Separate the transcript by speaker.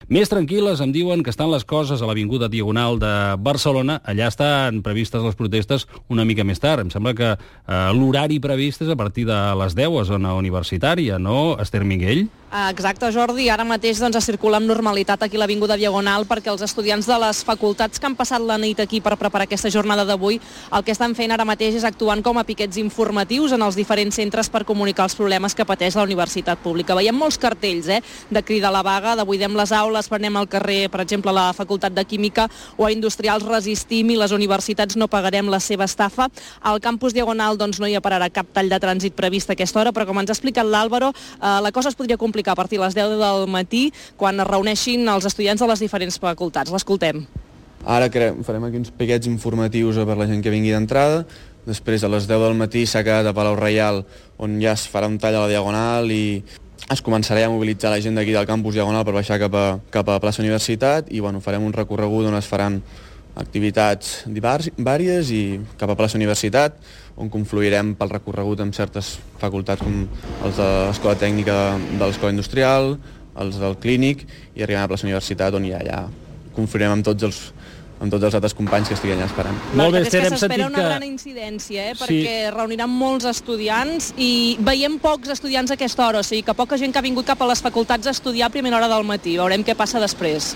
Speaker 1: Més tranquil·les em diuen que estan les coses a l'Avinguda Diagonal de Barcelona. Allà estan previstes les protestes una mica més tard. Em sembla que l'horari previst és a partir de les 10 a zona universitària, no, Esther Miguel?
Speaker 2: Exacte, Jordi. Ara mateix es circula amb normalitat aquí a l'Avinguda Diagonal perquè els estudiants de les facultats que han passat la nit aquí per preparar aquesta jornada d'avui el que estan fent ara mateix és actuant com a piquets informatius en els diferents centres per comunicar els problemes que pateix la universitat pública. Veiem molts cartells de crida a la vaga, de buidem les aules, prenem al carrer, per exemple, a la Facultat de Química o a Industrials resistim i les universitats no pagarem la seva estafa. Al campus Diagonal no hi pararà cap tall de trànsit previst a aquesta hora, però com ens ha explicat l'Àlvaro, la cosa es podria complicar a partir de les 10 del matí quan es reuneixin els estudiants de les diferents facultats. L'escoltem.
Speaker 3: Ara farem aquí uns piquets informatius per la gent que vingui d'entrada. Després, a les 10 del matí, s'ha quedat a Palau Reial, on ja es farà un tall a la Diagonal i es començarà a mobilitzar la gent d'aquí del campus Diagonal per baixar cap a plaça Universitat i farem un recorregut on es faran activitats vàries i cap a plaça Universitat, on confluirem pel recorregut amb certes facultats com els de l'Escola Tècnica de l'Escola Industrial, els del Clínic, i arribem a plaça Universitat on ja allà confluirem amb tots els altres companys que estiguin allà esperant.
Speaker 1: Molt bé, Esther,
Speaker 2: hem sentit que... una gran incidència, perquè reuniran molts estudiants i veiem pocs estudiants a aquesta hora, o sigui que poca gent que ha vingut cap a les facultats a estudiar a primera hora del matí. Veurem què passa després.